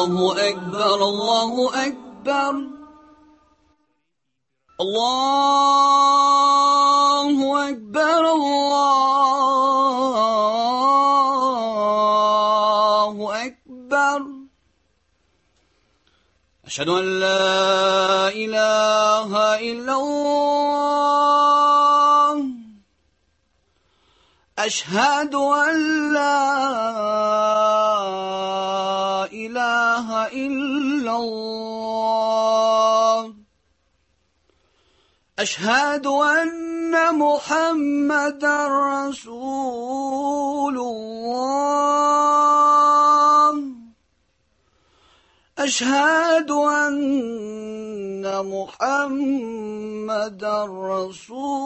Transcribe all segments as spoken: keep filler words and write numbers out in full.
Allahu Ekber, Allahu Ekber. Allahu Ekber, Allahu Ekber. Eşhedü en la ilahe illallah. Eşhedü en la ilahe illallah. Eşhedü enne Muhammeden Resulullah. Eşhedü enne Muhammeden Resulullah.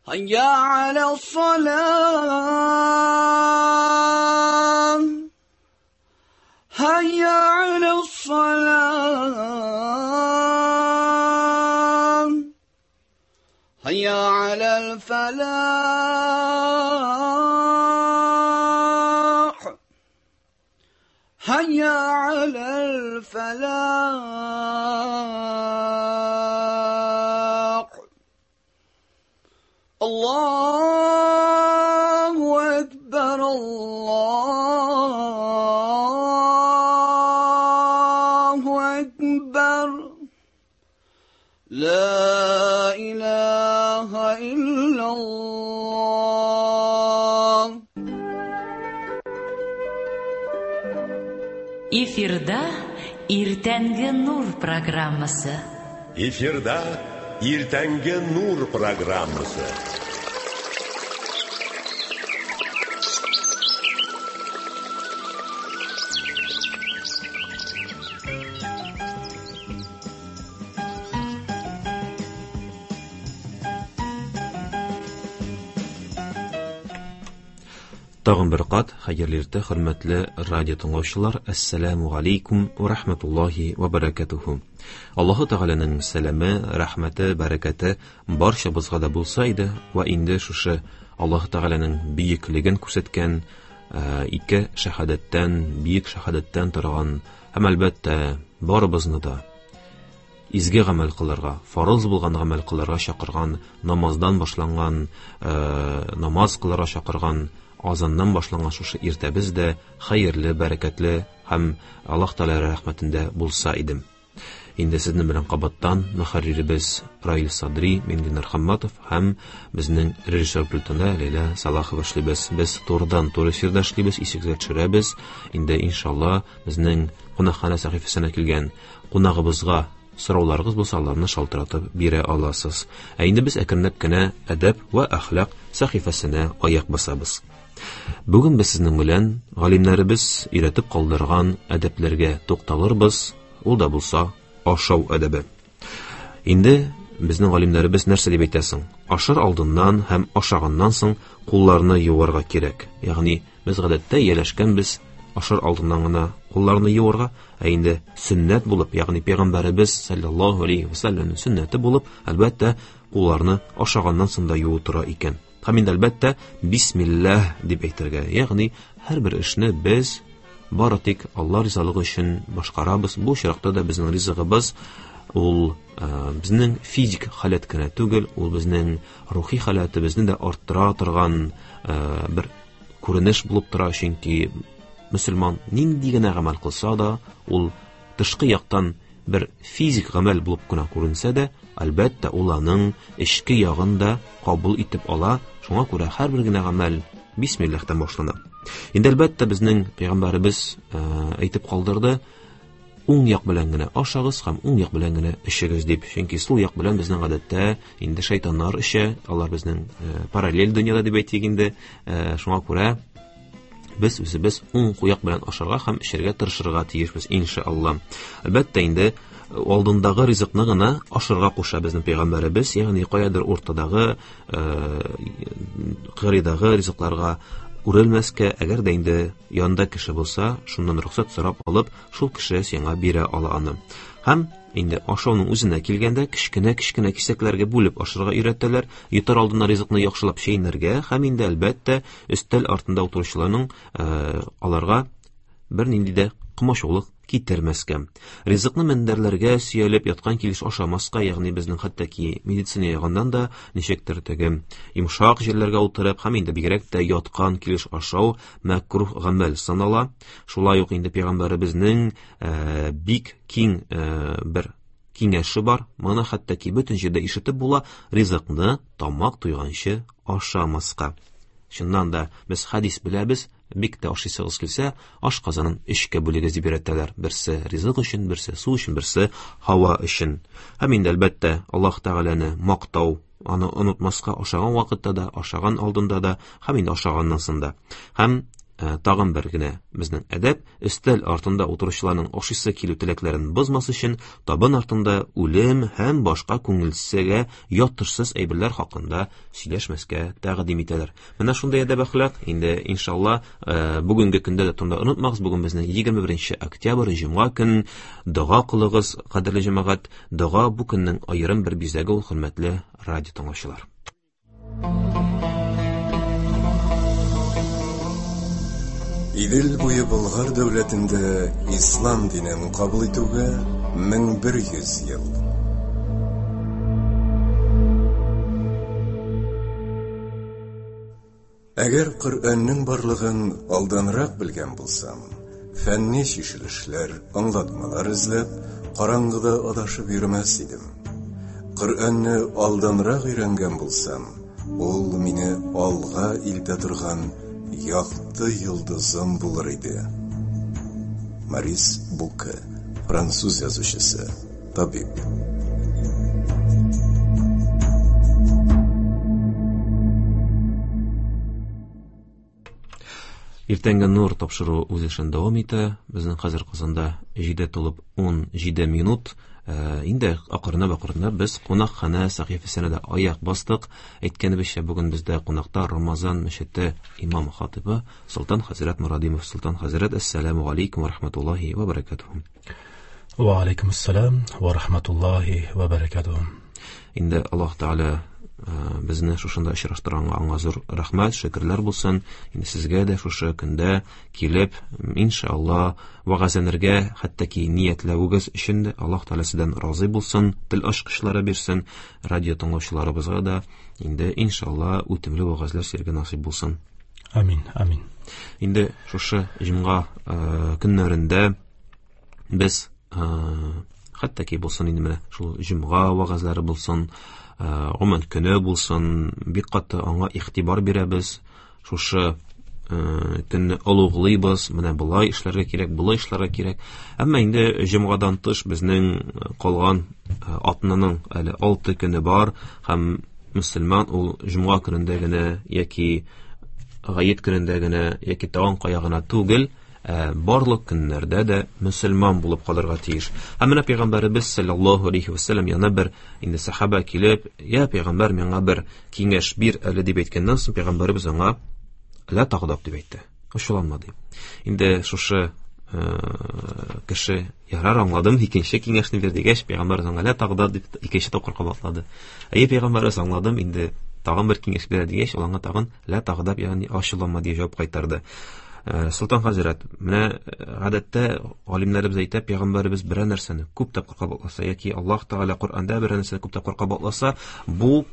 Hayya alas-salah. Hayya alas-salah. Hayya alal-falah. Hayya alal-falah. Allahu Ekber, Allahu Ekber. La ilahe illallah. Эфирда Иртәнге Нур программасы. Эфирда Иртәнге Нур программасы. Тагын бер кат хәерле иртә, хөрмәтле радио тыңлаучылар. Әссәламу алейкум ва рахматуллахи ва баракатуху. Аллаһу Тәгаләнең сәламе, рәхмәте, бәрәкәте барчабызга да булса иде ва инде шушы Аллаһу Тәгаләнең бөеклеген күрсәткән ике шәһадәттән, бөек шәһадәттән торган һәм әлбәттә барыбызны да изге гамәл кылырга, фарыз булган гамәл кылырга чакырган, намаздан башланган, намаз кылырга чакырган азаннан башланган шушы иртәбез дә хәерле, бәрәкәтле һәм Аллаһ Тәгалә рәхмәтендә булса иде. Инде сезнең белән кабаттан мөхәрриребез Раил Садри, мин Ленар Хамматов һәм безнең режиссер пультында Ләйлә Салахова эшлибез. Без турыдан туры эфирда эшлибез, исегезгә төшерәбез. Инде иншалла безнең кунакханә сәхифәсенә килгән кунагыбызга сорауларыгыз булса, аларны шалтыратып бирә аласыз. Ә инде без әкренләп кенә әдәп ва әхлак сәхифәсенә аяк басабыз. Бүген без сезнең белән галимнәребез өйрәтеп калдырган әдәпләргә тукталырбыз. Ул да булса ашау әдәбе. Инде безнең галимнәребез нәрсә дип әйтәсең? Ашар алдыннан һәм ашаганнан соң кулларны юарга кирәк. Ягъни без гадәттә ияләшкәнбез ашар алдыннан гына кулларны юарга, ә инде сөннәт булып, ягъни пәйгамбәребез саллаллаһу алейхи ва саллямның сөннәте булып, әлбәттә, кулларны ашаганнан соң да юу тора икән. Һәм инде әлбәттә бисмиллаһ дип әйтергә, ягъни һәрбер эшне без бары тик Алла ризалыгы өчен башкарабыз. Бу очракта да безнең ризыгыбыз ул безнең физик халәт кенә түгел, ул безнең рухи халәтебезне дә арттыра торган бер күренеш булып тора, чөнки мөселман нинди генә гамәл кылса да, ул тышкы яктан бер физик гамәл булып кына күренсә дә, әлбәттә, ул аның эчке ягын да кабул итеп ала. Шуңа күрә һәрбер генә гамәл бисмиллаһтан башлана. Инде әлбәттә безнең пәйгамбәребез әйтеп калдырды: уң як белән генә ашагыз һәм уң як белән генә эчегез дип. Чөнки сул як белән безнең гадәттә инде шайтаннар эчә, алар безнең параллель дөньяда дип әйтик инде. Шуңа күрә без үзебез уң як белән ашарга һәм эчәргә тырышырга тиешбез иншалла. Әлбәттә инде алдындагы ризыкны гына ашарга куша безнең пәйгамбәребез, ягъни каядыр уртадагы, кырыйдагы ризыкларга үрелмәскә, әгәр дә инде янында кеше булса, шуннан рөхсәт сорап алып, шул кеше сиңа бирә ала аны. Һәм инде ашауның үзенә килгәндә кечкенә-кечкенә кисәкләргә бүлеп ашарга өйрәтәләр, йотар алдыннан ризыкны яхшылап чәйнәргә һәм инде әлбәттә өстәл артында утыручыларның аларга бернинди дә комачаулык китермәскә. Ризыкны мендәрләргә сөялеп яткан килеш ашамаска, ягъни безнең хәтта ки медицина ягыннан да ничектер теге йомшак җирләргә утырып һәм инде бигрәк тә яткан килеш ашау мәкруһ гамәл санала. Шулай ук инде пәйгамбәребезнең бик киң бер киңәше бар. Моны хәтта ки бөтен җирдә ишетеп була: ризыкны тамак туйганчы ашамаска. Чыннан да без хәдис беләбез, бик тә ашыйсыгыз килсә, аш казанын өчкә бүлегез дип өйрәтәләр. Берсе ризык өчен, берсе су өчен, берсе һава өчен. Һәм инде әлбәттә Аллаһ Тәгаләне мактау, аны онытмаска ашаган вакытта да, ашаган алдында да, һәм инде ашаганнан соң да. Һәм тагын бер генә безнең әдәп: өстәл артында утыручыларның ашыйсы килү теләкләрен бозмас өчен табын артында үлем һәм башка күңелсезгә ятышсыз әйберләр хакында сөйләшмәскә тәкъдим итәләр. Менә шундый әдәп әхлак. Инде иншалла бүгенге көндә дә турында онытмагыз. Бүген безнең егерме беренче октябрь, җомга көн. Дога кылыгыз, кадерле җәмәгать. Дога бу көннең аерым бер бизәге ул, хөрмәтле радио тыңлаучылар. Идел буе Болгар дәүләтендә ислам динен кабул итүгә мең бер йөз ел. Әгәр Коръәннең барлыгын алданрак белгән булсам, фәнни чишелешләр, аңлатмалар эзләп, караңгыда адашып йөрмәс идем. Коръәнне алданрак өйрәнгән булсам, ул мине алга илтә торган якты йолдызым булыр иде. Морис Буке, француз язучысы, табиб. Иртәнге нур тапшыруы үз эшен дәвам итә. Безнең хәзер Казанда җиде тулып ун җиде минут. Инде акрынлап-акрынлап без кунакханә сәхифәсенә дә аяк бастык. Әйткәнебезчә, бүген бездә кунакта Рамазан мәчете имам хатибы Солтан хәзрәт Мурадимов. Солтан хәзрәт, әссәламү алейкум ва рахматуллаһи ва баракатуһу. Ва алейкум ассалам ва рахматуллаһи ва баракатуһу. Инде Аллаһ Тәгалә безне шушында очраштырганга аңа зур рәхмәт, шөкерләр булсын. Инде сезгә дә шушы көндә килеп, иншалла, вәгазьләнергә, хәтта ки ниятләвегез өчен дә Аллаһ Тәгалә сездән разый булсын, тел ачкычлары бирсен, радио тыңлаучыларыбызга да инде иншалла үтемле вәгазьләр сезгә насыйп булсын. Амин, амин. Инде шушы җомга көннәрендә без хәтта ки булсын инде менә шул җомга вәгазьләре булсын, гомумән көне булсын, бик каты аңа игътибар бирәбез. Шушы көнне олуглыйбыз, менә болай эшләргә кирәк, болай эшләргә кирәк. Әмма инде җомгадан тыш безнең калган атнаның әле алты көне бар, һәм мөселман ул җомга көнендә генә яки гает көнендә генә яки тагын кая гына түгел, барлык көннәрдә дә мөселман булып калырга тиеш. Һәм менә пәйгамбәребез саллаллаһу алейхи ва саллям янына бер инде сахаба килеп, "Я пәйгамбәр, миңа бер киңәш бир әле" дип әйткәннән соң пәйгамбәребез аңа "Ла тагдаб" дип әйтте. Ачуланма дип. Инде шушы кеше ярар аңладым, икенче киңәшне бир дигәч, пәйгамбәребез аңа "Ла тагдаб" дип икенче тапкыр кабатлады. Әйе, пәйгамбәребез аңладым, инде тагын бер киңәш бир дигәч, ул аңа тагын "Ла тагдаб", ягъни ачуланма дип җавап кайтарды. Солтан хәзрәт, менә гадәттә галимнәребез әйтә, пәйгамбәребез берәр нәрсәне күп тапкыр кабатласа яки Аллаһ Тәгалә Коръәндә берәр нәрсәне күп тапкыр кабатласа, бу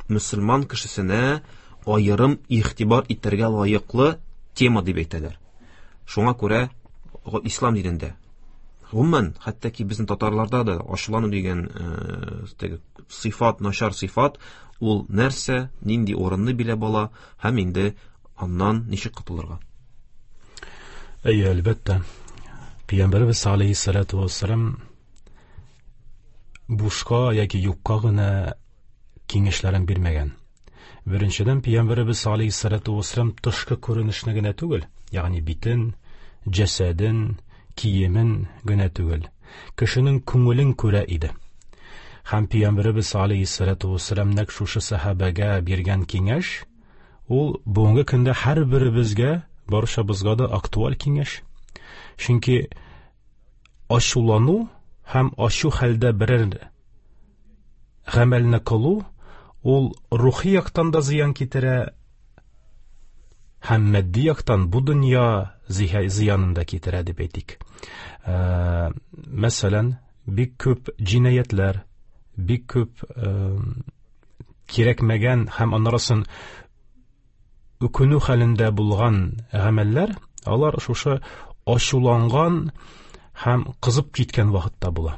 мөселман кешесенә аерым игътибар итәргә лаеклы тема дип әйтәләр. Шуңа күрә ислам динендә гомумән, хәтта ки безнең татарларда да ачулану дигән теге сыйфат, начар сыйфат, ул нәрсә, нинди урынны биләп ала һәм инде аннан ничек котылырга? Әйе, әлбәттә. Пәйгамбәребез алейһиссалату вассалам бушка яки юкка гына киңәшләрен бирмәгән. Беренчедән, Пәйгамбәребез алейһиссалату вассалам тышкы күренешне генә түгел, ягъни битен, җәсәден, киемен генә түгел, кешенең күңелен күрә иде. Һәм Пәйгамбәребез алейһиссалату вассалам нәкъ шушы сәхабәгә биргән киңәш, Ул бүгенге көндә һәрберебезгә, барчабызга да актуаль киңәш. Чөнки ачулану һәм ачу хәлдә берәр гамәлне кылу ул рухи яктан да зыян китерә һәм матди яктан бу дөнья зыянын да китерә дип әйтик. Ә, мәсәлән, бик күп җинаятьләр, бик күп ә, кирәкмәгән һәм аннарысын үкенү хәлендә булган гамәлләр, алар шушы ачуланган һәм кызып киткән вакытта була.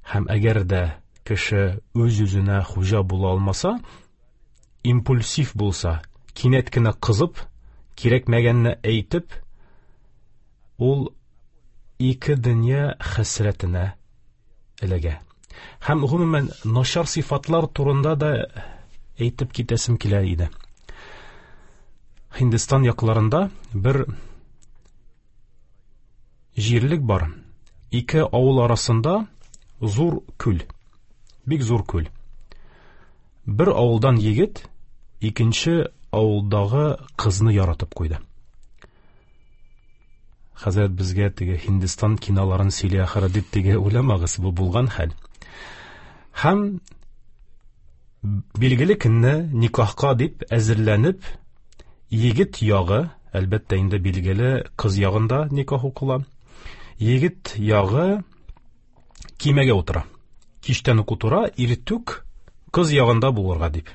Һәм әгәр дә кеше үз-үзенә хуҗа була алмаса, импульсив булса, кинәт кенә кызып, кирәкмәгәнне әйтеп, ул ике дөнья хәсрәтенә эләгә. Һәм гомумән начар сыйфатлар турында да әйтеп китәсем килә иде. Һиндстан якларында бер җирлек бар. Ике авыл арасында зур күл, бик зур күл. Бер авылдан егет икенче авылдагы кызны яратып куйды. Хәзрәт безгә теге Һиндстан киноларын сөйли ахыры дип теге уйламагыз, бу булган хәл. Һәм билгеле көнне никахка дип әзерләнеп, егет ягы, әлбәттә инде билгеле кыз ягында никах укыла. Егет ягы кимәгә утыра. Кичтән үк утыра, иртүк кыз ягында булырга дип.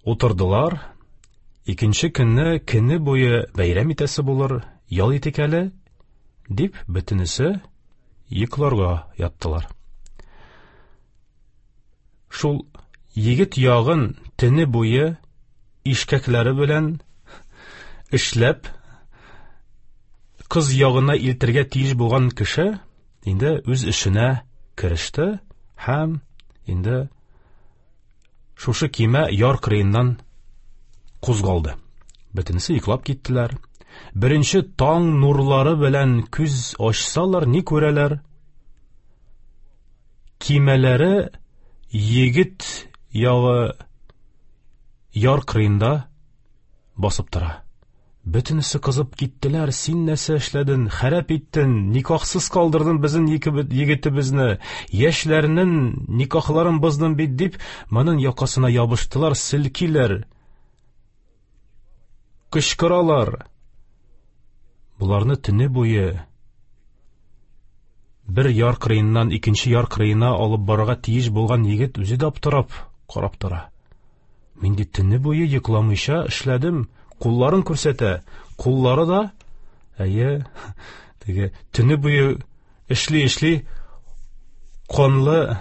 Утырдылар. Икенче көнне көне буе бәйрәм итәсе булыр, ял итик әле дип бөтенесе йокларга яттылар. Шул егет ягын төне буе ишкәкләре белән эшләп кыз ягына илтергә тиеш булган кеше инде үз эшенә кереште һәм инде шушы кимә яр кырыеннан кузгалды. Бөтенесе йоклап киттеләр. Беренче таң нурлары белән күз ачсалар, ни күрәләр? Кимәләре егет ягы яр кырыенда басып тора. Бөтенесе кызып киттеләр. Син нәрсә эшләдең? Харап иттең, никахсыз калдырдың безнең егетебезне, яшьләрнең никахларын боздың бит дип, моның якасына ябыштылар, селкиләр, кычкыралар. Буларны төне буе бер яр кырыеннан икенче яр кырыена алып барырга тиеш булган егет үзе дә аптырап карап тора. Мин ди төне буе йокламыйча эшләдем. Кулларын күрсәтә, куллары да әйе, теге төне буе эшли-эшли канлы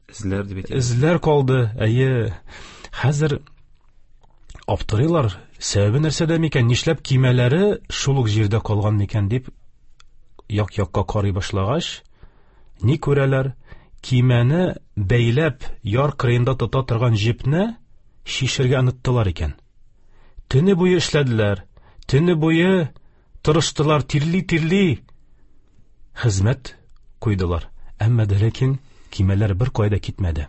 эзләр дип әйтә. Эзләр калды. Әйе, хәзер аптырыйлар. Сәбәбе нәрсәдә микән? Нишләп кимәләре шул ук җирдә калган микән дип як-якка карый башлагач, ни күрәләр? Кимәне бәйләп яр кырыенда тота торган җепне шишергә оныттылар икән. Төне буе эшләделәр, төне буе тырыштылар, тирли-тирли хезмәт куйдылар. Әмма дә ләкин кимәләр бер кайда китмәде.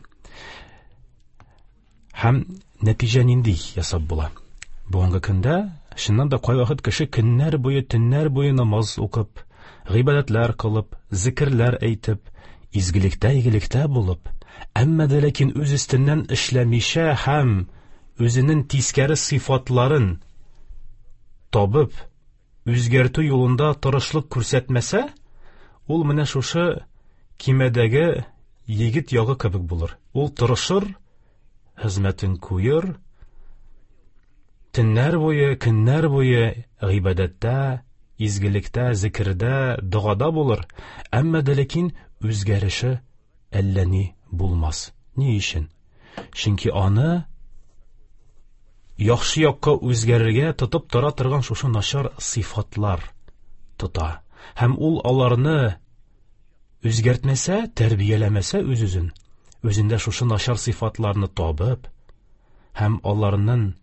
Һәм нәтиҗә нинди ясап була? Бүгенге көндә чыннан да кайвакыт кеше көннәр буе, төннәр буе намаз укып, гыйбадәтләр кылып, зикерләр әйтеп, изгелектә игелектә булып, әмма дә ләкин үз өстеннән эшләмичә һәм үзенең тискәре сыйфатларын табып, үзгәртү юлында тырышлык күрсәтмәсә, ул менә шушы кимәдәге егет ягы кебек булыр. Ул тырышыр, хезмәтен куер, төннәр буе, көннәр буе гыйбадәттә, изгелектә, зикердә, догада булыр, әмма дә ләкин үзгәреше әллә ни булмас. Ни өчен? Чөнки аны яхшы якка үзгәрергә тотып тора торган шушы начар сыйфатлар тота. Һәм ул аларны үзгәртмәсә, тәрбияләмәсә үз-үзен, үзендә шушы начар сыйфатларны табып, һәм аларның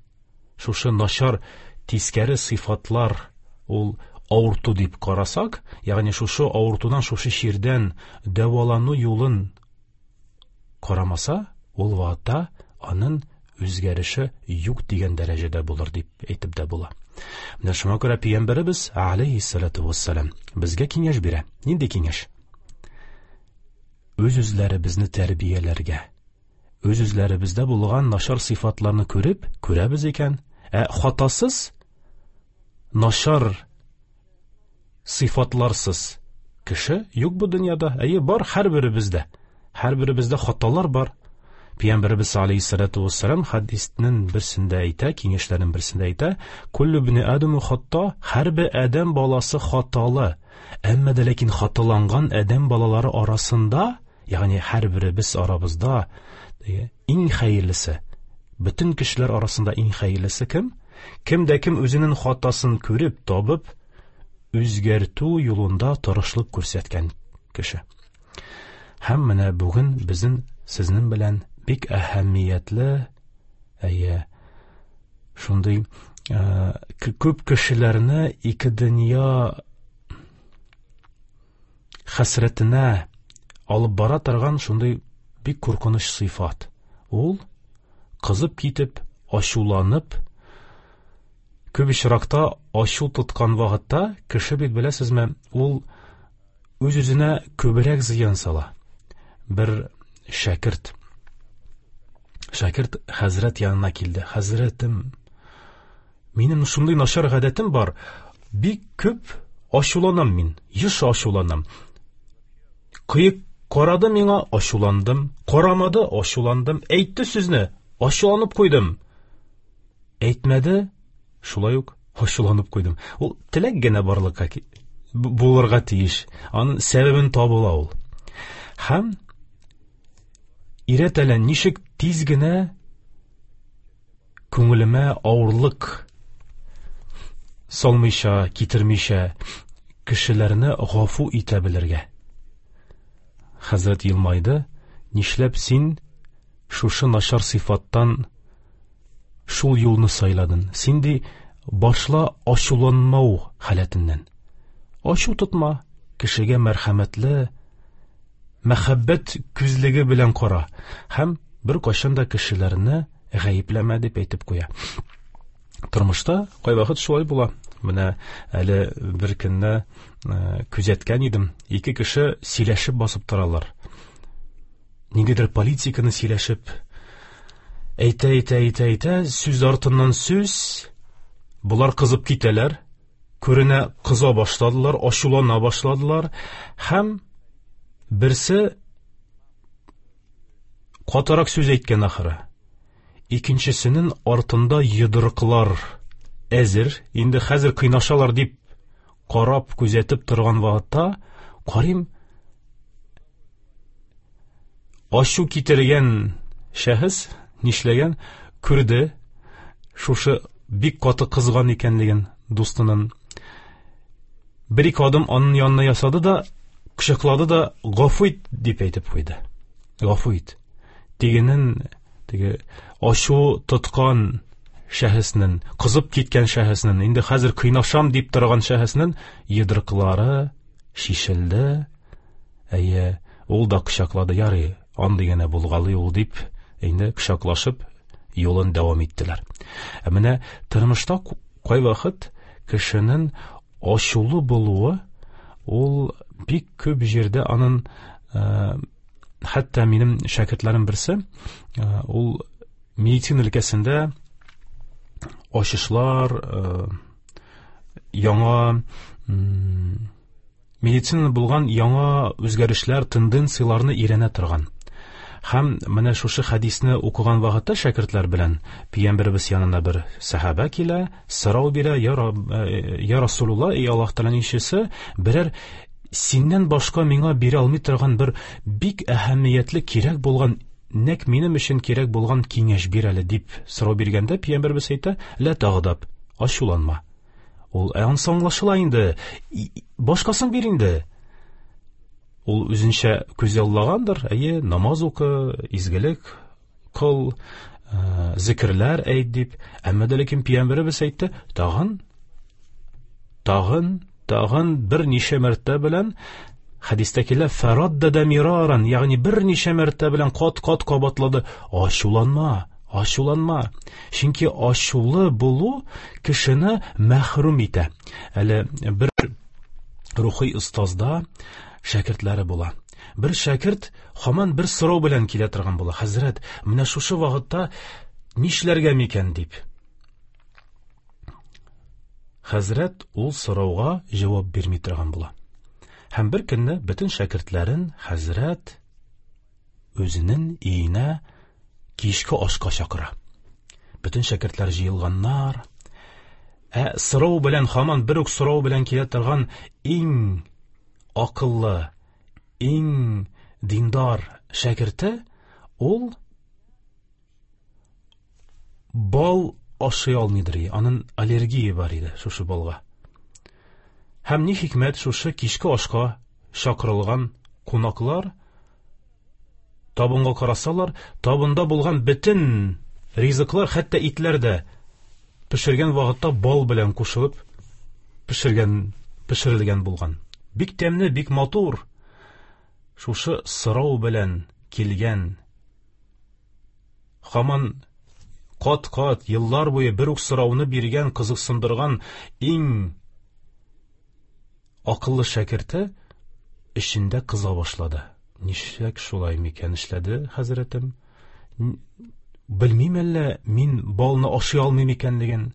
шушы начар тискәре сыйфатлар ул авырту дип карасак, ягъни шушы авыртудан, шушы чирдән дәвалану юлын карамаса, ул вакытта Аның үзгәреше юк дигән дәрәҗәдә булыр дип әйтеп дә була. Менә шуңа күрә пәйгамбәребез алейһиссалату вассалам безгә киңәш бирә. Нинди киңәш? Үз-үзләребезне тәрбияләргә. Үз-үзләребездә булган начар сыйфатларны күреп, күрәбез икән, ә хатасыз, начар сыйфатларсыз кеше юк бу дөньяда. Әйе, бар һәрберебездә. Һәрберебездә хаталар бар. Пәйгамбәребез алейһиссалату вассалам хәдиснең берсендә әйтә, киңәшләренең берсендә әйтә: "Куллю ибни адаму хатта", һәрбер адәм баласы хаталы. Әмма дә ләкин хаталанган адәм балалары арасында, ягъни һәрберебез арабызда иң хәерлесе, бөтен кешеләр арасында иң хәерлесе кем? Кем дә кем үзенең хатасын күреп, табып, үзгәртү юлында тырышлык күрсәткән кеше. Һәм менә бүген безнең сезнең белән бик әһәмиятле, әйе, шундый күп кешеләрне ике дөнья хәсрәтенә алып бара торган шундый бик куркыныч сыйфат. Ул кызып китеп, ачуланып, күп очракта ачу тоткан вакытта кеше бит, беләсезме, ул үз-үзенә күбрәк зыян сала. Бер шәкерт Шәкерт хәзрәт янына килде. Хәзрәтем, минем шундый начар гадәтем бар. Бик күп ачуланам мин, еш ачуланам. Кыек карады миңа, ачуландым. Карамады, ачуландым. Әйтте сүзне, ачуланып куйдым. Әйтмәде, шулай ук ачуланып куйдым. Ул теләк генә барлыкка булырга тиеш. Аның сәбәбен табыла ул. Һәм өйрәт әле, ничек тиз генә күңелемә авырлык салмыйча, китермичә кешеләрне гафу итә белергә. Хәзрәт елмайды. Нишләп син шушы начар сыйфаттан шул юлны сайладың? Син ди башла ачуланмау халәтеннән. Ачу тотма, кешегә мәрхәмәтле, мәхәббәт күзлеге белән кара һәм бер кайчан да кешеләрне гаепләмә дип әйтеп куя. Тормышта кайвакыт шулай була. Менә әле бер көнне күзәткән идем. Ике кеше сөйләшеп басып торалар. Ниндидер политиканы сөйләшеп, әйтә, әйтә, әйтә, әйтә, сүз артыннан сүз, болар кызып китәләр, күренә кыза башладылар, ачулана башладылар һәм берсе катырак сүз әйткән ахыры. Икенчесенең артында йодрыклар әзер, инде хәзер кыйнашалар дип карап, күзәтеп торган вакытта, карыйм, ачу китергән шәхес нишләгән, күрде, шушы бик каты кызган икәнлеген дустының. Бер ике адым аның янына ясады да, кочаклады да, гафу ит дип әйтеп куйды. Гафу ит. Тегенең, теге ачу тоткан шәхеснең, кызып киткән шәхеснең, инде хәзер кыйнашам дип торган шәхеснең йодрыклары шишелде. Әйе, ул да кочаклады, ярый, андый гына булгалый ул дип, инде кочаклашып юлын дәвам иттеләр. Ә менә тормышта кайвакыт кешенең ачулы булуы ул бик күп җирдә аның, хәтта минем шәкертләрем берсе, ул медицина өлкәсендә ачышлар, яңа медицина булган яңа үзгәрешләр, тенденцияләрне өйрәнә торган. Һәм менә шушы хәдисне укыган вакытта шәкертләр белән пәйгамбәребез янына бер сәхабә килә, сорау бирә: "Я я Расулулла, эй Аллаһ Тәгаләнең илчесе, берәр синнән башка миңа бирә алмый торган бер бик әһәмиятле кирәк булган, нәкъ минем өчен кирәк булган киңәш бир әле" дип сорау биргәндә пәйгамбәребез әйтә: "Ла тагдаб, ачуланма". Ул ансы аңлашыла инде, башкасын бир инде. Ул үзенчә күзаллагандыр, әйе, намаз укы, изгелек кыл, зикерләр әйт дип. Әмма дә ләкин пәйгамбәребез әйтте, тагын, тагын, тагын бер ничә мәртәбә белән Хәдистә килә фәраддада мираран, ягъни берничә мәртәбә белән кат-кат кабатлады. Ачуланма, ачуланма. Чөнки ачулы булу кешене мәхрүм итә. Әле бер рухи остазда шәкертләре була. Бер шәкерт һаман бер сорау белән килә торган була. Хәзрәт, менә шушы вакытта нишләргә микән дип. Хәзрәт ул сорауга җавап бирми торган була. Һәм бер көнне бөтен шәкертләрен хәзрәт үзенең өенә кичке ашка чакыра. Бөтен шәкертләр җыелганнар. Ә сорау белән һаман бер үк сорау белән килә торган иң акыллы, иң диндар шәкерте ул бал ашый алмыйдыр, аның аллергия бар иде шушы балга. Һәм ни хикмәт, шушы кичке ашка чакырылган кунаклар табынга карасалар, табында булган бөтен ризыклар, хәтта итләр дә пешергән вакытта бал белән кушылып пешергән, пешерелгән булган. Бик тәмле, бик матур. Шушы сорау белән килгән, һаман кат-кат еллар буе бер үк сорауны биргән, кызыксындырган иң акыллы шәкерте эчендә кыза башлады. Нишләк шулай микән эшләде хәзрәтем? Белмим әллә мин балны ашый алмыйм икәнлеген.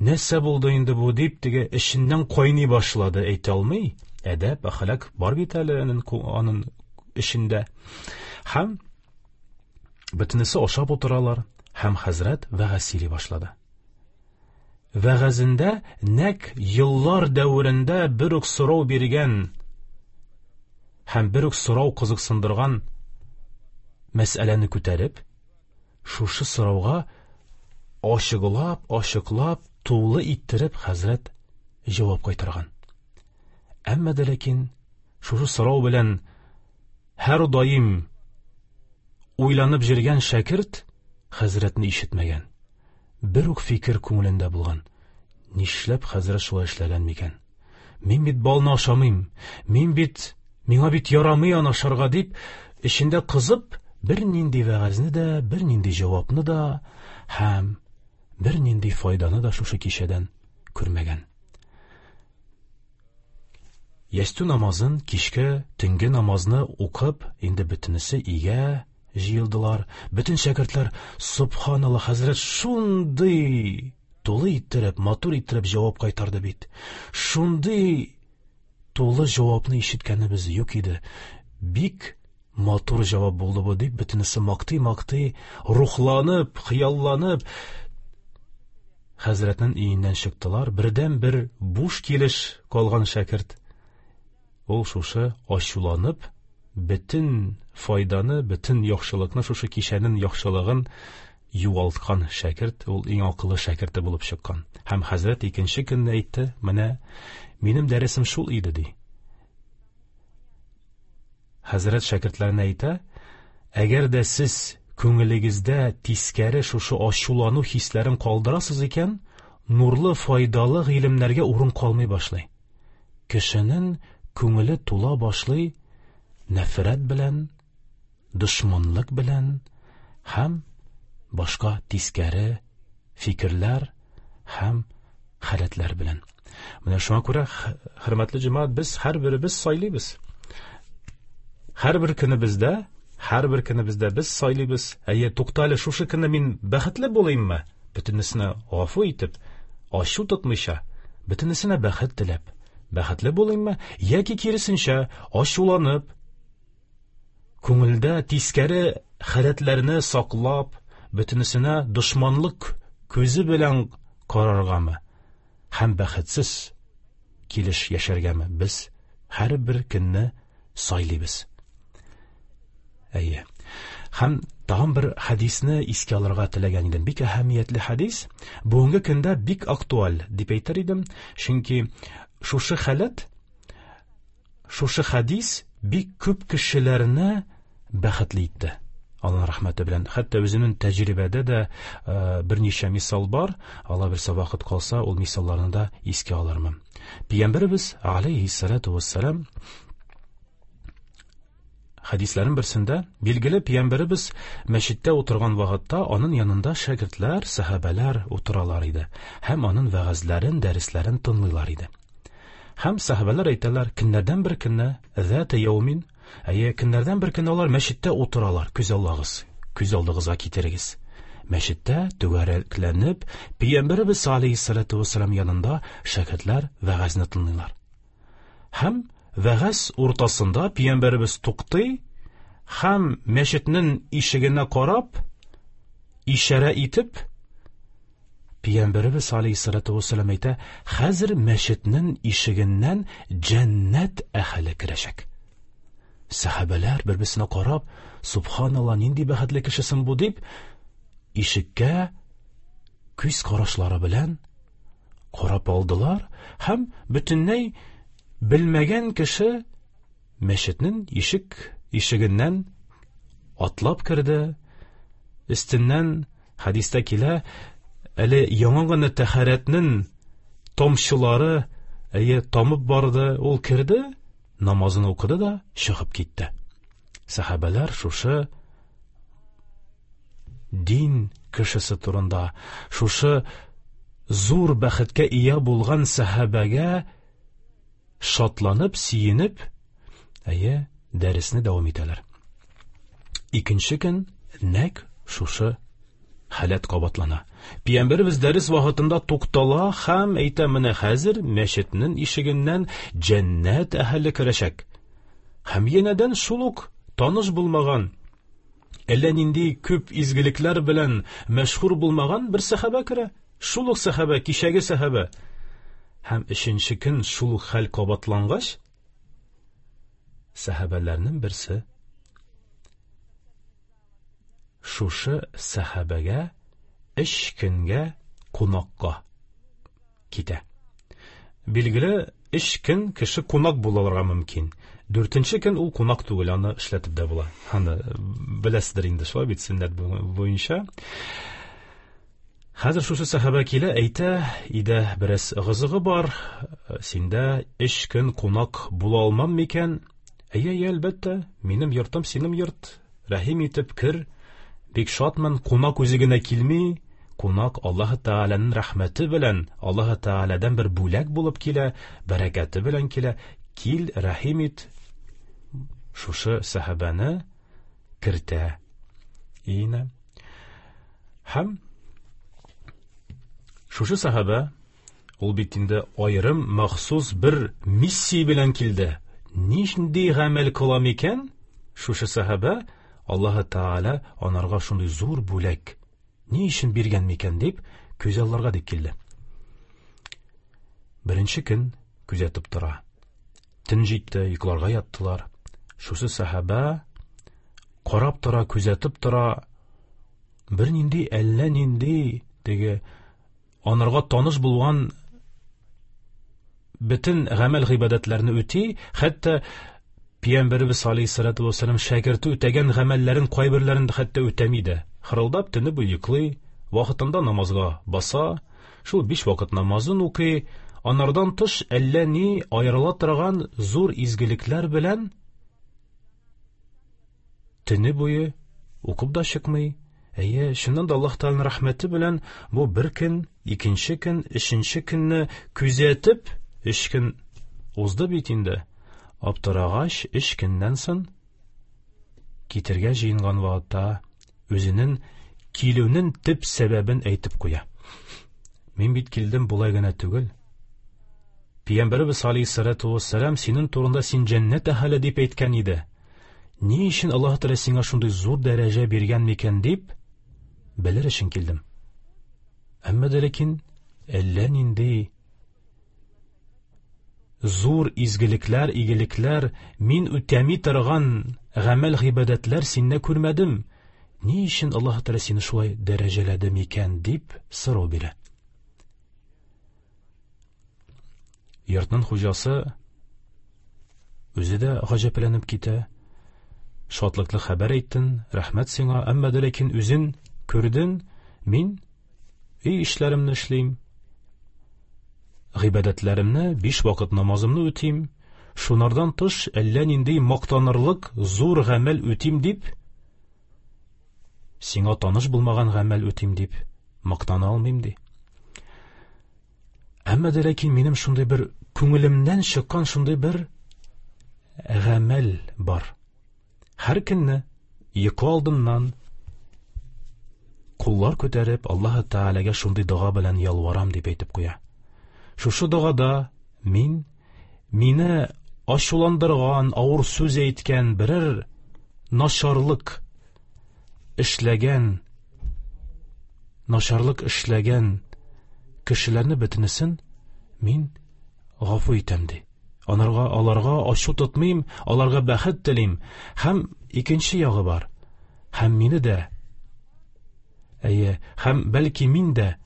Нәрсә булды инде бу дип теге эченнән кайный башлады, әйтә алмый. Әдәп, әхлак бар бит әле аның, аның эчендә. Һәм бөтенесе ашап утыралар, һәм хәзрәт вәгазь сөйли башлады. Вәгазендә нәк еллар дәверендә бер үк сорау биргән һәм бер үк сорау кызыксындырган мәсьәләне күтәреп, шушы сорауга ачыклап, ачыклап, тулы иттереп хәзрәт җавап кайтарган. Әмма дә ләкин шушы сорау белән һәр даим уйланып йөргән шәкерт хәзрәтне ишетмәгән. Бер үк фикер күңелендә булган. Нишләп хәзрәт шулай эшләгән микән? Мин бит балны ашамыйм. Мин бит, миңа бит ярамый аны ашарга дип, эчендә кызып, бер нинди вәгазьне дә, бер нинди җавапны да һәм бер нинди файданы да шушы кичәдән күрмәгән. Ястү намазын, кичке, төнге намазны укып, инде бөтенесе өйгә җыелдылар. Бөтен шәкертләр, субханалла, хәзрәт шундый тулы иттереп, матур иттереп җавап кайтарды бит. Шундый тулы җавапны ишеткәнебез юк иде. Бик матур җавап булды бу дип, бөтенесе мактый-мактый, рухланып, хыялланып хәзрәтнең өеннән чыктылар. Бердән бер буш килеш калган шәкерт ул шушы ачуланып, бөтен файданы, бөтен яхшылыкны, шушы кичәнең яхшылыгын югалткан шәкерт, ул иң акыллы шәкерте булып чыккан. Һәм хәзрәт икенче көнне әйтте, менә минем дәресем шул иде, ди. Хәзрәт шәкертләренә әйтә, әгәр дә сез күңелегездә тискәре шушы ачулану хисләрен калдырасыз икән, нурлы, файдалы гыйлемнәргә урын калмый башлый. Кешенең күңеле тула башлый нәфрәт белән, дошманлык белән һәм башка тискәре фикерләр һәм халәтләр белән. Менә шуңа күрә, хөрмәтле җәмәгать, без һәрберебез сайлыйбыз. Һәрбер көнебездә, һәрбер көнебездә без сайлыйбыз. Әйе, туктале, шушы көнне мин бәхетле булыйммы? Бөтенесенә гафу итеп, ачу тотмыйча, бөтенесенә бәхет теләп, бәхетле булыйммы? Яки киресенчә, ачуланып, күңелдә тискәре халәтләрне саклап, бөтенесенә дошманлык күзе белән караргамы? Һәм бәхетсез килеш яшәргәме? Без һәрбер көнне сайлыйбыз. Әйе. Һәм тагын бер хәдисне искә алырга теләгән идем. Бик әһәмиятле хәдис. Бүгенге көндә бик актуаль дип әйтер идем. Чөнки шушы халәт, шушы хәдис бик күп кешеләрне бәхетле итте. Аллаһ рәхмәте белән. Хәтта үзенең тәҗрибәдә дә берничә мисал бар. Алла бирсә вакыт калса, ул мисалларны да искә алырмын. Пәйгамбәребез алейһиссалату вассалам Хәдисләрнең берсендә билгеле пәйгамбәребез мәчеттә утырган вакытта аның янында шәкертләр, сәхабәләр утыралар иде һәм аның вәгазьләрен, дәресләрен тыңлыйлар иде. Һәм сәхабәләр әйтәләр, көннәрдән бер көнне, зәтә яумин, әйе, көннәрдән бер көнне алар мәчеттә утыралар. Күз алдыгыз, күз алдыгызга китерегез. Мәчеттә түгәрәкләнеп, пәйгамбәребез алейһиссалату вассалам янында шәкертләр вәгазьне тыңлыйлар. Һәм вәгазь уртасында пәйгамбәребез туктый һәм мәчетнең ишегенә карап, ишарә итеп, пәйгамбәребез алейһиссалату вассалам әйтә, хәзер мәчетнең ишегеннән җәннәт әһеле керәчәк. Сәхабәләр бер-берсенә карап, субханалла, нинди бәхетле кешесең бу дип, ишеккә күз карашлары белән карап алдылар һәм бөтенләй белмәгән кеше мәчетнең ишек ишегеннән атлап керде. Өстеннән хәдистә килә, әле яңа гына тәһарәтнең тамчылары әйе тамып барды, ул керде, намазын укыды да чыгып китте. Сәхабәләр шушы дин кешесе турында, шушы зур бәхеткә ия булган сәхабәгә шатланып, сөенеп, әйе, дәресне дәвам итәләр. Икенче көн нәкъ шушы халәт кабатлана. Пәйгамбәребез дәрес вакытында туктала һәм әйтә, менә хәзер мәчетнең ишегеннән җәннәт әһеле керәчәк. Һәм янәдән шул ук таныш булмаган, әллә нинди күп изгелекләр белән мәшһүр булмаган бер сәхабә керә. Шул ук сәхабә, кичәге сәхабә. Һәм өченче көн шул ук хәл кабатлангач, сәхабәләрнең берсе шушы сәхабәгә өч көнгә кунакка китә. Билгеле, өч көн кеше кунак булырга мөмкин. Дүртенче көн ул кунак түгел, аны эшләтеп дә була. Аны беләсездер инде, шулай бит, сөннәт буенча. Хәзер шушы сәхабә килә, әйтә, өйдә бераз ыгы-зыгы бар, синдә өч көн кунак була алмам микән? Әйе, әйе, әлбәттә, минем йортым синең йорт. Рәхим итеп кер. Бик шатмын, кунак үзе генә килми, кунак Аллаһы Тәгаләнең рәхмәте белән, Аллаһы Тәгаләдән бер бүләк булып килә, бәрәкәте белән килә. Кил, рәхим ит. Шушы сәхабәне кертә. Инә. Һәм шушы сәхабә, ул бит инде аерым махсус бер миссия белән килде. Нинди гамәл кыла микән? Шушы сәхабә Аллаһы Тәгалә анарга шундый зур бүләк ни өчен биргән микән дип күз алларга дип килде. Беренче көн күзәтеп тора. Төн җитте, йокларга яттылар. Шушы сәхабә карап тора, күзәтеп тора. Бер нинди, әллә нинди теге анарга таныш булган бөтен гамәл гыйбадәтләрне үти, хәтта Пәйгамбәребез алейһиссалату вассалам шәкерте үтәгән гамәлләрен кайберләрен хәтта үтәми дә. Хырылдап төне буе йоклый, вакытында намазга баса, шул биш вакыт намазын укый, анардан тыш әллә ни аерыла торган зур изгелекләр белән төне буе укып да чыкмый. Әйе, чыннан да Аллаһ Тәгаләнең рәхмәте белән бу бер көн, икенче көн, өченче көнне күзәтеп, өч көн узды бит инде. Аптырагач, өч көннән соң китергә җыенган вакытта үзенең килүенең төп сәбәбен әйтеп куя. Мин бит килдем болай гына түгел. Пәйгамбәребез алейһиссалату вассалам синең турында син җәннәт әһеле дип әйткән иде. Ни өчен Аллаһ Тәгалә сиңа шундый зур дәрәҗә биргән микән дип белер өчен килдем. Әмма дә ләкин әллә нинди зур изгелекләр, игелекләр, мин үтәми торган гамәл гыйбадәтләр синдә күрмәдем. Ни өчен Аллаһ Тәгалә сине шулай дәрәҗәләде микән дип сорау бирә. Йортның хуҗасы үзе дә гаҗәпләнеп китә. Шатлыклы хәбәр әйттең, рәхмәт сиңа, әмма дә ләкин үзең күрдең, мин өй эшләремне эшлим, гыйбадәтләремне, биш вакыт намазымны үтим, Шунардан тыш әллә нинди мактанырлык зур гамәл үтим дип, сиңа таныш булмаган гамәл үтим дип мактана алмыйм ди. Әмма дә ләкин минем шундый бер күңелемнән чыккан шундый бер гамәл бар. Һәр көнне йокы алдыннан куллар күтәреп Аллаһ Тәгаләгә шундый дога белән ялварам дип әйтеп куя. Шушы догада мин мине ачуландырган, авыр сүз әйткән, берәр начарлык эшләгән, начарлык эшләгән кешеләрне бөтенесен мин гафу итәм ди. Аларга, аларга ачу тотмыйм, аларга бәхет телим. Һәм икенче ягы бар. Һәм мине дә, әйе, һәм бәлки мин дә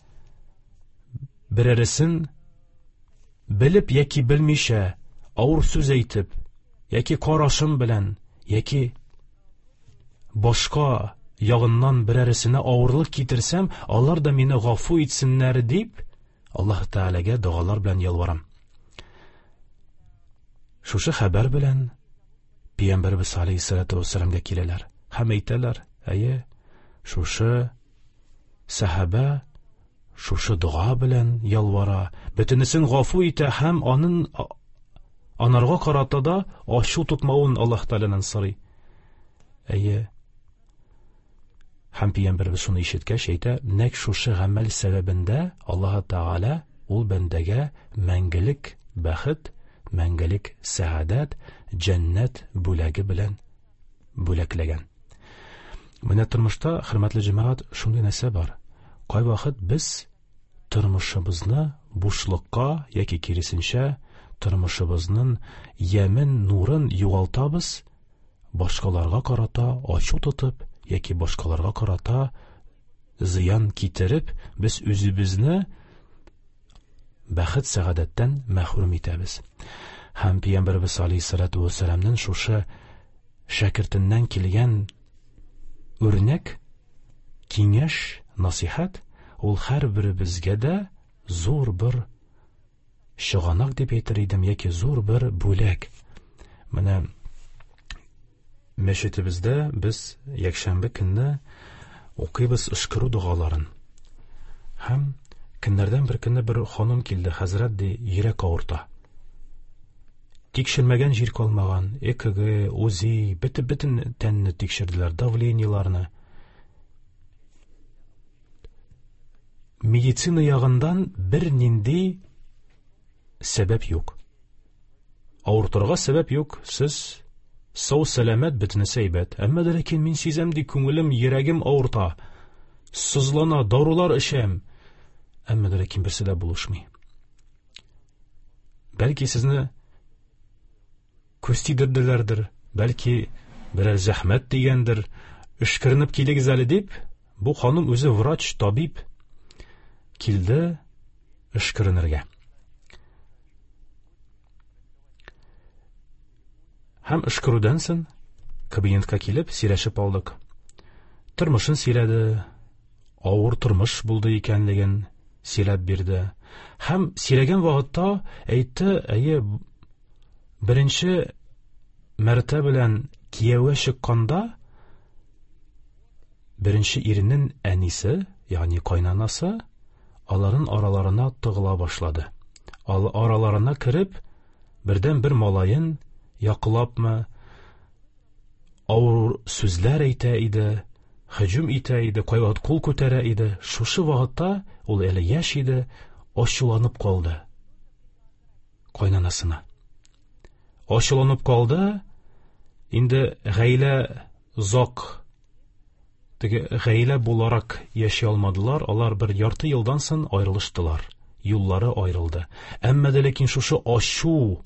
берәресен белеп яки белмичә авыр сүз әйтеп, яки карашым белән, яки башка ягыннан берәресенә авырлык китерсәм, алар да мине гафу итсеннәр дип Аллаһ Тәгаләгә догалар белән ялварам. Шушы хәбәр белән Пәйгамбәребез алейһиссалату вассаламга киләләр һәм әйтәләр: әйе, шушы сәхабә шушы дога белән ялвара, бөтенесен гафу итә һәм анын анарга карата да ачу тотмавын Аллаһ Тәгаләдән сорый. Әйе. Һәм Пәйгамбәребез шуны ишеткәч әйтә: нәкъ шушы гамәл сәбәбендә Аллаһ Тәгалә ул бәндәгә мәңгелек бәхет, мәңгелек сәгадәт, җәннәт бүләге белән бүләкләгән. Менә тормышта, хөрмәтле җәмәгать, шундый нәрсә бар. Кайвакыт без тормышыбызны бушлыкка яки киресенчә тормышыбызның ямен, нурын югалтабыз, башкаларга карата ачу тотып яки башкаларга карата зыян китереп, без үзебезне бәхет сәгадәттән мәхрүм итәбез. Һәм Пәйгамбәребез алейһиссалату вассаламның шушы шәкертеннән килгән үрнәк, киңәш, насихат ул һәрберебезгә дә зур бер чыганак дип әйтер идем, яки зур бер бүләк. Менә мәчетебездә без якшәмбе көнне укыйбыз өшкерү догаларын. Һәм көннәрдән бер көнне бер ханым килде: хәзрәт, ди, йөрәк авырта. Тикшермәгән җир калмаган, ЭКГ, УЗИ, бөтен бөтен тәнне тикшерделәр, давлениеларны. Медицина ягыннан бер нинди сәбәп юк. Авыртырга сәбәп юк, сез сау сәламәт, бөтенесе әйбәт. Әмма дә ләкин мин сизәм, ди, күңелем, йөрәгем авырта, сызлана, дарулар эчәм. Әмма дә ләкин берсе дә булышмый. Бәлки сезне күз тидерделәрдер, бәлки берәр зәхмәт дигәндер, өшкеренеп килегез әле дип, бу ханым үзе врач, табиб, килде өшкеренергә. Һәм өшкерүдән соң кабинетка килеп сөйләшеп алдык. Тормышын сөйләде, авыр тормыш булды икәнлеген сөйләп бирде. Һәм сөйләгән вакытта әйтте: әйе, беренче мәртәбә белән кияүгә чыкканда беренче иренең әнисе, ягъни кайнанасы, аларын араларына тыгыла башлады. Ал араларына кереп, бердән бер малаен яклапмы, авыр сүзләр әйтә иде, һөҗүм итә иде, кайвакыт кул күтәрә иде. Шушы вакытта ул әле яшь иде, ачуланып калды кайнанасына. Ачуланып калды. Инде гаилә зак, теге гаилә буларак яши алмадылар, алар бер ярты елдан соң аерылыштылар. Юллары аерылды. Әмма дә ләкин шушы ачу,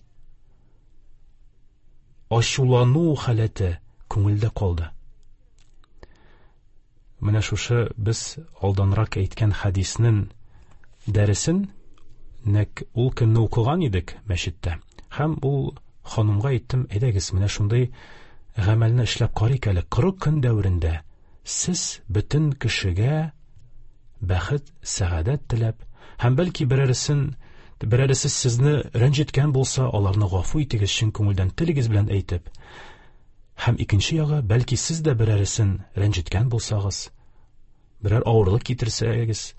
ачулану халәте күңелдә калды. Менә шушы без алданрак әйткән хәдиснең дәресен нәкъ ул көнне укыган идек мәчеттә. Һәм ул ханымга әйттем: әйдәгез, менә шундый гамәлне эшләп карыйк әле. Кырык көн дәверендә сез бөтен кешегә бәхет, сәгадәт теләп, һәм бәлки берәрсен Берәресе сезне рәнҗеткән булса, аларны гафу итегез чын күңелдән, телегез белән әйтеп. Һәм икенче ягы, бәлки сез дә берәресен рәнҗеткән булсагыз, берәр авырлык китерсәгез,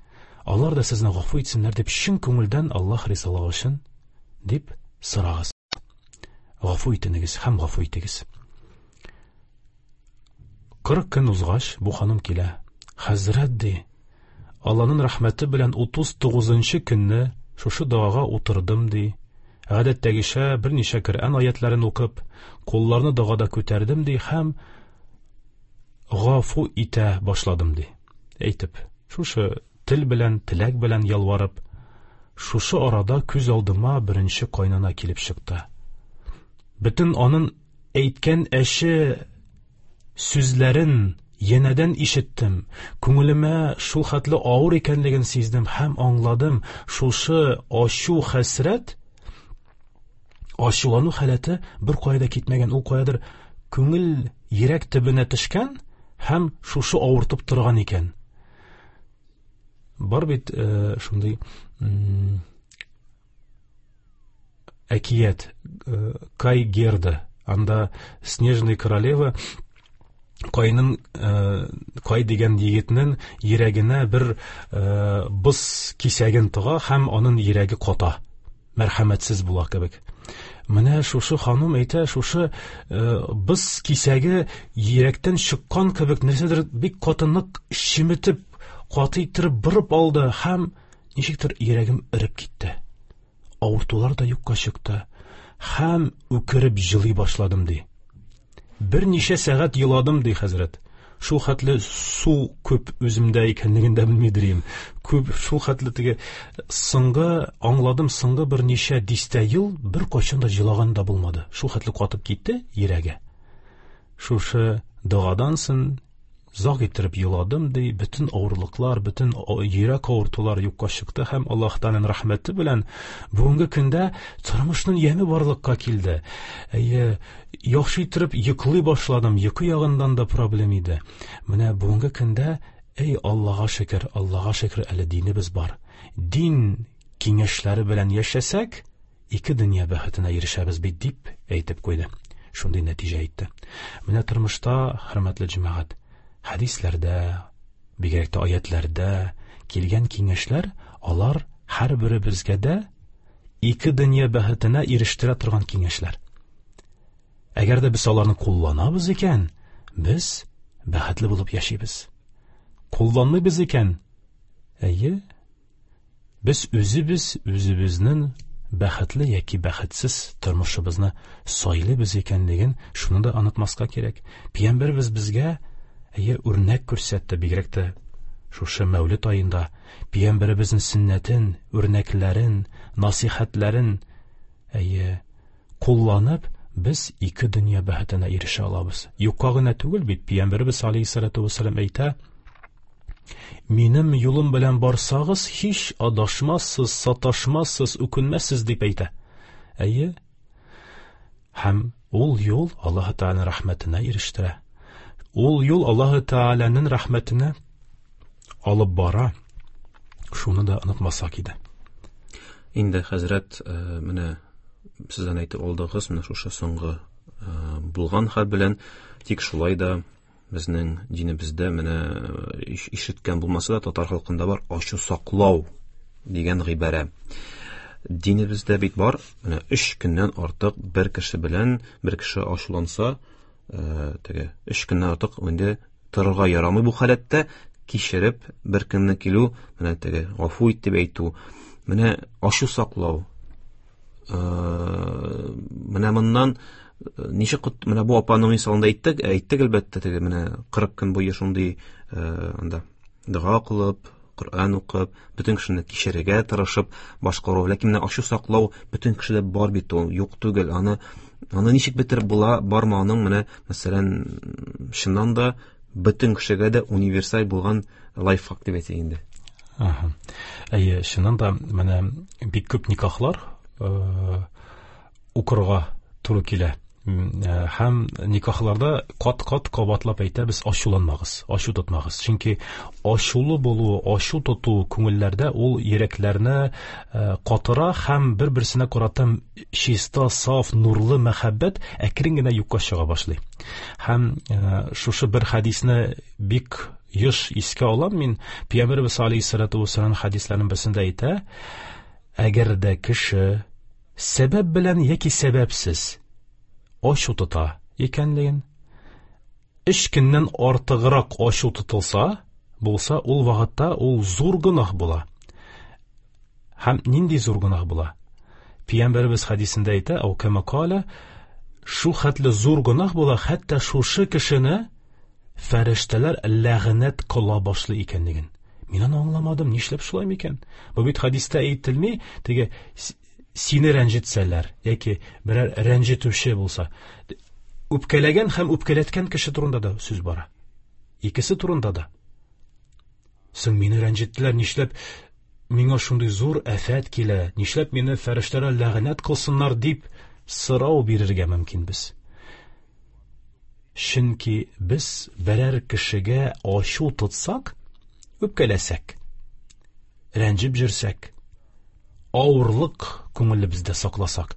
алар да сезне гафу итсеннәр дип чын күңелдән Аллаһ ризалыгы өчен дип сорагыз. Гафу итенегез һәм гафу итегез. Кырык көн узгач, бу ханым килә. Хәзрәт, ди, Аллаһның рәхмәте белән утыз тугызынчы көнне шушы догага утырдым, ди. Гадәттәгечә берничә Коръән аятларын укып, кулларны догада күтәрдем, ди, һәм гафу итә башладым, ди. Әйтеп, шушы тел белән, теләк белән ялварып, шушы арада күз алдыма беренче кайнана килеп чыкты. Бөтен аның әйткән әче сүзләрен янәдән ишеттем. Күңелемә шул хәтле авыр икәнлеген сиздем һәм аңладым. Шушы ачу, хәсрәт, ачулану халәте бер кая да китмәгән, ул каядыр күңел йөрәк төбенә төшкән һәм шушы авыртып торган икән. Бар бит, э, шундый, м, әкият, э, Кай Герда, анда Снежная королева Кайның, э, Кай дигән егетнең йөрәгенә бер, э, боз кисәген тыга һәм аның йөрәге ката, мәрхәмәтсез була кебек. Менә шушы ханым әйтә, шушы, э, боз кисәге йөрәктән чыккан кебек нәрсәдер бик каты нык чеметеп, каты иттереп борып алды һәм ничектер йөрәгем эреп китте. Авыртулар да юкка чыкты һәм үкереп җылый башладым, ди. Берничә сәгать еладым, ди хәзрәт. Шул хәтле су күп үземдә икәнлеген дә белмидер идем. Күп, шул хәтле теге соңгы аңладым, соңгы берничә дистә ел бер кайчан да җылаган да булмады. Шул хәтле катып китте йөрәге. Шушы догадан соң озак иттереп еладым, ди, бөтен авырлыклар, бөтен йөрәк авыртулар юкка чыкты һәм Аллаһ Тәгаләнең рәхмәте белән бүгенге көндә тормышның яме барлыкка килде. Әйе, яхшы иттереп йоклый башладым, йокы ягыннан да проблем иде. Менә бүгенге көндә, эй, Аллаһка шөкер, Аллаһка шөкер, әле динебез бар. Дин киңәшләре белән яшәсәк, ике дөнья бәхетенә ирешәбез бит, дип әйтеп куйды. Шундый нәтиҗә әйтте. Менә тормышта, хөрмәтле җәмәгать, хәдисләрдә, бигрәк тә аятларда килгән киңәшләр, алар һәрберебезгә дә ике дөнья бәхетенә ирештерә торган киңәшләр. Әгәр дә без аларны кулланабыз икән, без бәхетле булып яшибез. Кулланмыйбыз икән, әйе, без үзебез үзебезнең бәхетле яки бәхетсез тормышыбызны сайлыйбыз икәнлеген шуны да онытмаска кирәк. Пәйгамбәребез безгә әйе үрнәк күрсәтте, бигрәк тә шушы Мәүлид аенда пәйгамбәребезнең сөннәтен, үрнәкләрен, насыйхәтләрен әйе кулланып без ике дөнья бәхетенә ирешә алабыз. Юкка гына түгел бит, пәйгамбәребез алейһиссалату вассалам әйтә: Минем юлым белән барсагыз, һич адашмассыз, саташмассыз, үкенмәссез, дип әйтә. Әйе. Һәм ул юл Аллаһ Тәгаләнең рәхмәтенә ирештерә. Ул юл Аллаһ Тәгаләнең рәхмәтенә алып бара. Шуны да онытмасак иде. Инде хәзрәт, э, менә сездән әйтеп алдыгыз, менә шушы соңгы, э, булган хәл белән, тик шулай да безнең динебездә менә иш-, ишеткән булмаса да татар халкында бар ачу саклау дигән гыйбарә. Динебездә бит бар, менә өч көннән артык бер кеше белән бер кеше ачуланса, э, теге өч көннән артык инде торырга ярамый бу халәттә, кичереп бер көнне килү, менә теге гафу ит дип әйтү, менә ачу саклау. Э, менә моннан ничек кот-, менә бу апаның мисалында әйттек, әйттек әлбәттә, теге менә кырык көн буе шундый, э, анда дога кылып, Коръән укып, бөтен кешене кичерергә тырышып башкару. Ләкин менә ачу саклау бөтен кешедә бар бит ул, юк түгел. Аны, аны ничек бетереп була, бармы аның менә, мәсәлән, чыннан да бөтен кешегә дә универсаль булган лайфхак дип әйтик инде. Аһа. Әйе, чыннан да менә бик күп никахлар, э, укырга туры килә. Һәм никахларда кат-кат кабатлап әйтәбез, ачуланмагыз, ачу тотмагыз. Чөнки ачулы булу, ачу тоту күңелләрдә ул йөрәкләрне катыра һәм бер-берсенә карата чиста, саф, нурлы мәхәббәт әкрен генә юкка чыга башлый. Һәм шушы бер хәдисне бик еш искә алам мин. Пәйгамбәребез алейһиссалату вассалам хәдисләренең берсендә әйтә: әгәр дә кеше сәбәп белән яки сәбәпсез ачу тота икәнлеген, өч көннән артыграк ачу тотылса, булса, ул вакытта ул зур гөнаһ була. Һәм нинди зур гөнаһ була? Пәйгамбәребез хәдисендә әйтә, ау кама кала, шул хәтле зур гөнаһ була, хәтта шушы кешене фәрештәләр ләгънәт кыла башлый икәнлеген. Мин аны аңламадым, нишләп шулай микән? Бу бит хәдистә әйтелми, теге сине рәнҗетсәләр яки берәр рәнҗетүче булса, үпкәләгән һәм үпкәләткән кеше турында да сүз бара. Икесе турында да. Соң мине рәнҗеттеләр, нишләп миңа шундый зур афәт килә, нишләп мине фәрештәләр ләгънәт кылсыннар дип сорау бирергә мөмкинбез. Чөнки без берәр кешегә ачу тотсак, үпкәләсәк, рәнҗеп йөрсәк, авырлык күңелебездә сакласак,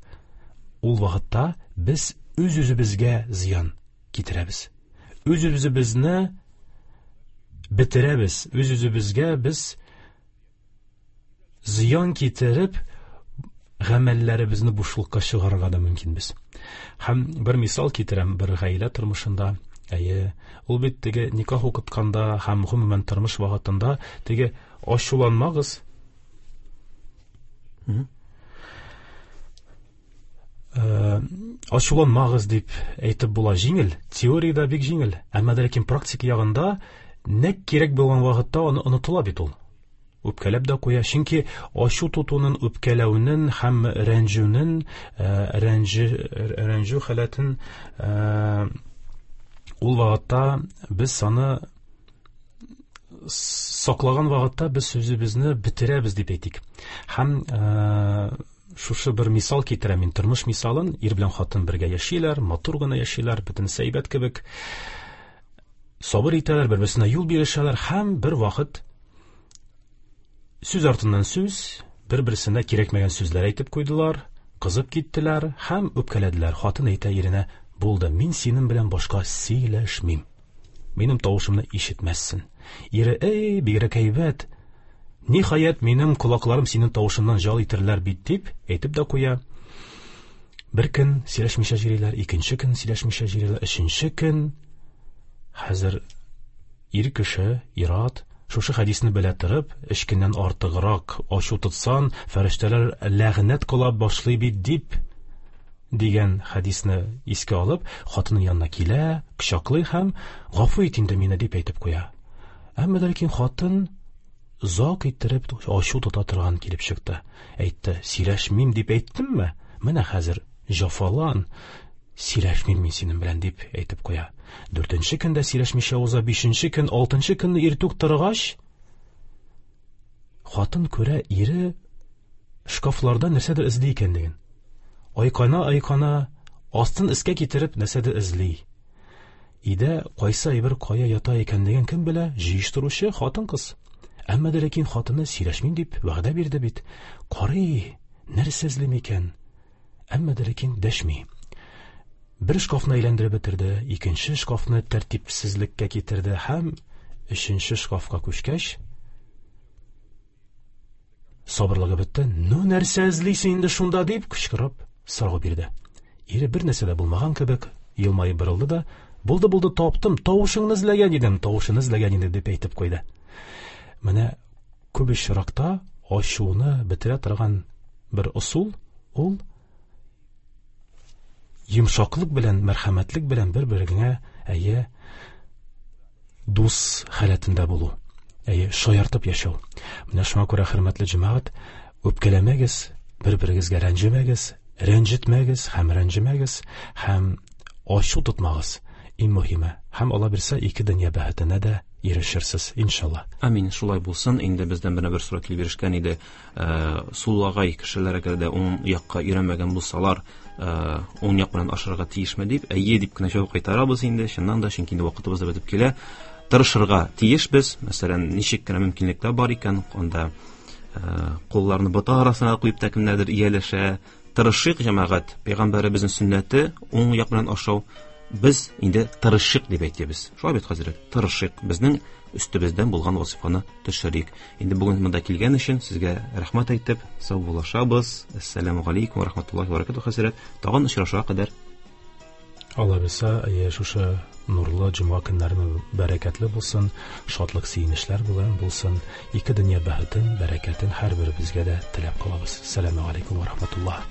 ул вакытта без үз-үзебезгә зыян китерәбез. Үз-үзебезне бетерәбез, үз-үзебезгә без зыян китереп, гамәлләребезне бушлыкка чыгарырга да мөмкинбез. Һәм бер мисал китерәм, бер гаилә тормышында, әйе, ул бит теге никах укытканда һәм гомумән тормыш вакытында теге ачуланмагыз. Ачуланмагыз дип әйтеп була җиңел, теориядә бик җиңел, әмма ләкин практика ягында нәк кирәк булган вакытта аны онытыла бит ул. Үпкәләп дә куя, чөнки ачу тотуның, үпкәләүнең һәм рәнҗүнең, рәнҗү, рәнҗү халәтен ул вакытта без аны саклаган вакытта без үзебезне бетерәбез дип әйтик. Һәм шушы бер мисал китерәм мин, тормыш мисалын. Ир белән хатын бергә яшиләр, матур гына яшиләр, бөтенесе әйбәт кебек. Сабыр итәләр, бер-берсенә юл бирешәләр һәм бер вакыт сүз артыннан сүз, бер-берсенә кирәкмәгән сүзләр әйтеп куйдылар, кызып киттеләр һәм үпкәләделәр. Хатын әйтә иренә: "Булды, мин синең белән башка сөйләшмим. Минем тавышымны ишетмәссең." Ире: "Эй, бигрәк әйбәт. Ниһаять, минем колакларым синең тавышыңнан жал итерләр бит", дип әйтеп дә куя. Бер көн сөйләшмичә йөриләр, икенче көн сөйләшмичә йөриләр, өченче көн. Хәзер ир кеше, ир-ат шушы хәдисне белә торып, өч көннән артыграк ачу тотсан, фәрештәләр ләгънәт кыла башлый бит дип дигән хәдисне искә алып, хатынның янына килә, кочаклый һәм гафу ит инде мине дип әйтеп куя. Әмма ләкин хатын озак иттереп ачу тота торган килеп чыкты. Әйтте: "Сөйләшмим дип әйттемме? Менә хәзер җафалан, сөйләшмим мин синең белән", дип әйтеп куя. Дүртенче көндә сөйләшмичә уза, бишенче көн, алтынчы көнне иртүк торгач, хатын күрә ире шкафларда нәрсәдер эзли икәнлеген. Айкана, айкана, астын өскә китереп нәрсәдер эзли. Өйдә кайсы әйбер кая ята икәнлеген кем белә? Җыештыручы хатын-кыз. Әмма дә ләкин хатыны сөйләшмим дип вәгъдә бирде бит. Карый, нәрсә эзли микән? Әмма дә ләкин дәшми. Бер шкафны әйләндереп бетерде, икенче шкафны тәртипсезлеккә китерде һәм өченче шкафка күчкәч, сабырлыгы бетте. "Ну, нәрсә эзлисең инде шунда?" дип кычкырып сорау бирде. Ире бер нәрсә дә булмаган кебек елмаеп борылды да: "Булды, булды, таптым, тавышыңны эзләгән идем, тавышын эзләгән идем", дип әйтеп куйды. Менә күп очракта ачуны бетерә торган бер ысул ул йомшаклык белән, мәрхәмәтлек белән бер-береңә, әйе, дус халәтендә булу, әйе, шаяртып яшәү. Менә шуңа күрә, хөрмәтле җәмәгать, үпкәләмәгез, бер-берегезгә рәнҗемәгез, рәнҗетмәгез һәм рәнҗемәгез һәм ачу тотмагыз. Иң мөһиме, һәм Алла бирсә, ике дөнья бәхетенә дә ирешерсез, иншалла. Амин, шулай булсын. Инде бездән бер бер сорау килеп ирешкән иде. Суллагай кешеләр әгәр дә уң якка өйрәнмәгән булсалар, уң як белән ашарга тиешме дип, әйе дип кенә җавап кайтарабыз инде. Чыннан да, чөнки инде вакытыбыз да бетеп килә. Тырышырга тиешбез. Мәсәлән, ничек кенә мөмкинлекләр бар икән, анда кулларны бота арасына куеп та кемнәрдер ияләшә. Тырышыйк, җәмәгать. Пәйгамбәребезнең сөннәте уң як белән ашау. Без инде тырышыйк дип әйтәбез. Шулай бит, хәзрәт? Тырышыйк. Безнең өстебездән булган вазифаны төшерик. Инде бүген монда килгән өчен сезгә рәхмәт әйтеп, саубуллашабыз. Ассаламу алейкум ва рахматуллахи ва баракатуһ, хәзрәт. Тагын очрашуга кадәр. Алла бирсә, шушы нурлы җомга көннәре бәрәкәтле булсын, шатлык сөенечләр белән булсын. Ике дөнья бәхетен, бәрәкәтен һәрберебезгә дә теләп калабыз. Ассаламу алейкум ва рахматуллах.